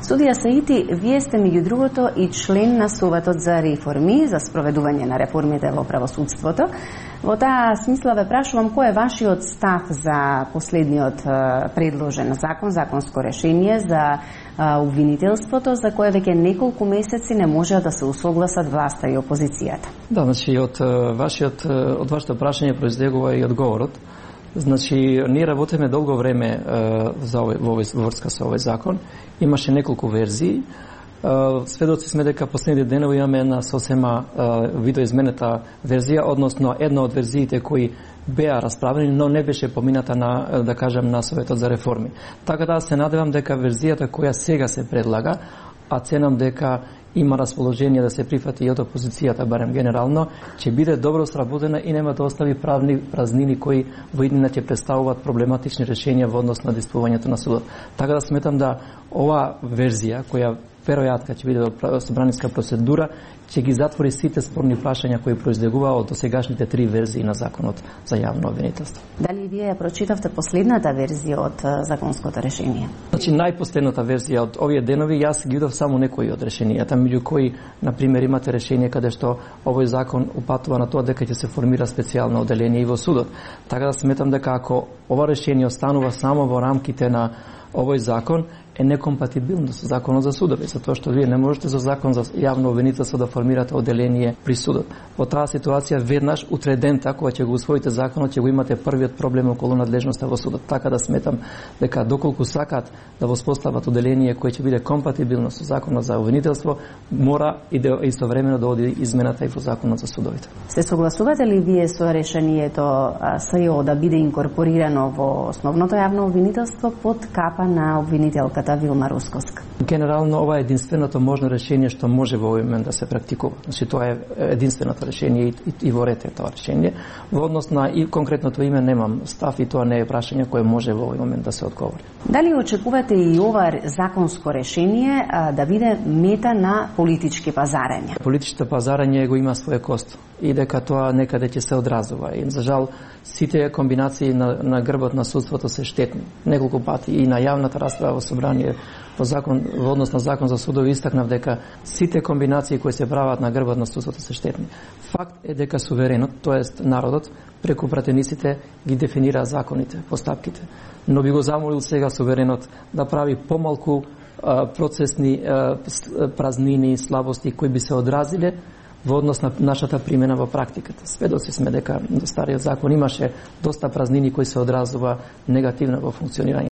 Судија Саити, вие сте меѓу другото и член на Советот за реформи, за спроведување на реформите во правосудството. Во таа смисла ве прашувам кој е вашиот став за последниот предложен законско решение за обвинителството, за кое веќе неколку месеци не може да се усогласат власта и опозицијата. Да, значи од вашето прашање произлегува и одговорот. Значи, ние работиме долго време во врска со овој закон. Имаше неколку верзии. Сведоци сме дека последните денови имаме една сосема видоизменета верзија, односно една од верзиите кои беа расправени, но не беше помината на, да кажем, на Советот за реформи. Така да се надевам дека верзијата која сега се предлага, а ценам дека има расположение да се прифати и од опозицијата, барем генерално, ќе биде добро сработена и нема да остави правни празнини кои во иднина ќе представуваат проблематични решенија во однос на действувањето на судот. Така да сметам да ова верзија, која веројатно ќе биде во собраниска процедура, ќе ги затвори сите спорни прашања кои произлегуваа од досегашните 3 верзии на законот за јавно обвинителство. Дали вие ја прочитавте последната верзија од законското решение? Значи, најпоследната верзија од овие денови, јас ги видов само некои од решенијата, меѓу кои, на пример, имате решение каде што овој закон упатува на тоа дека ќе се формира специјално оделение и во судот. Така да сметам дека ако ова решение останува само во рамките на овој закон, е некомпатибилно со законот за судови, затоа што вие не можете за закон за јавно обвинителство да формирате оделение при судот. Во таа ситуација веднаш утре дента кога ќе го усвоите законот, ќе го имате првиот проблем околу надлежноста во судот. Така да сметам дека доколку сакат да воспостават оделение кое ќе биде компатибилно со законот за обвинителство, мора и да истовремено да оди измената и во законот за судовите. Се согласувате ли вие со решението СЈО да биде инкорпорирано во основното јавно обвинителство под капа на обвинителката Вилма Русковска? Генерално ова е единственото можно решение што може во овој момент да се практикува. Значи тоа е единственото решение и во ред е тоа решение. Во однос на и конкретното име немам став и тоа не е прашање кое може во овој момент да се одговори. Дали очекувате и ова законско решение да биде мета на политички пазарења? Политичкото пазарење го има своје косто и дека тоа некаде ќе се одразува. И за жал сите комбинации на грбот на судството се штетни. Неколку пати и на јавната расправа во собрание во однос на закон за судови истакнав дека сите комбинации кои се прават на грбот на судството се штетни. Факт е дека суверенот, тоест народот, преку пратениците ги дефинира законите, постапките. Но би го замолил сега суверенот да прави помалку процесни празнини, слабости кои би се одразиле во однос на нашата примена во практиката. Сведоци сме дека до стариот закон имаше доста празнини кои се одразува негативно во функционирање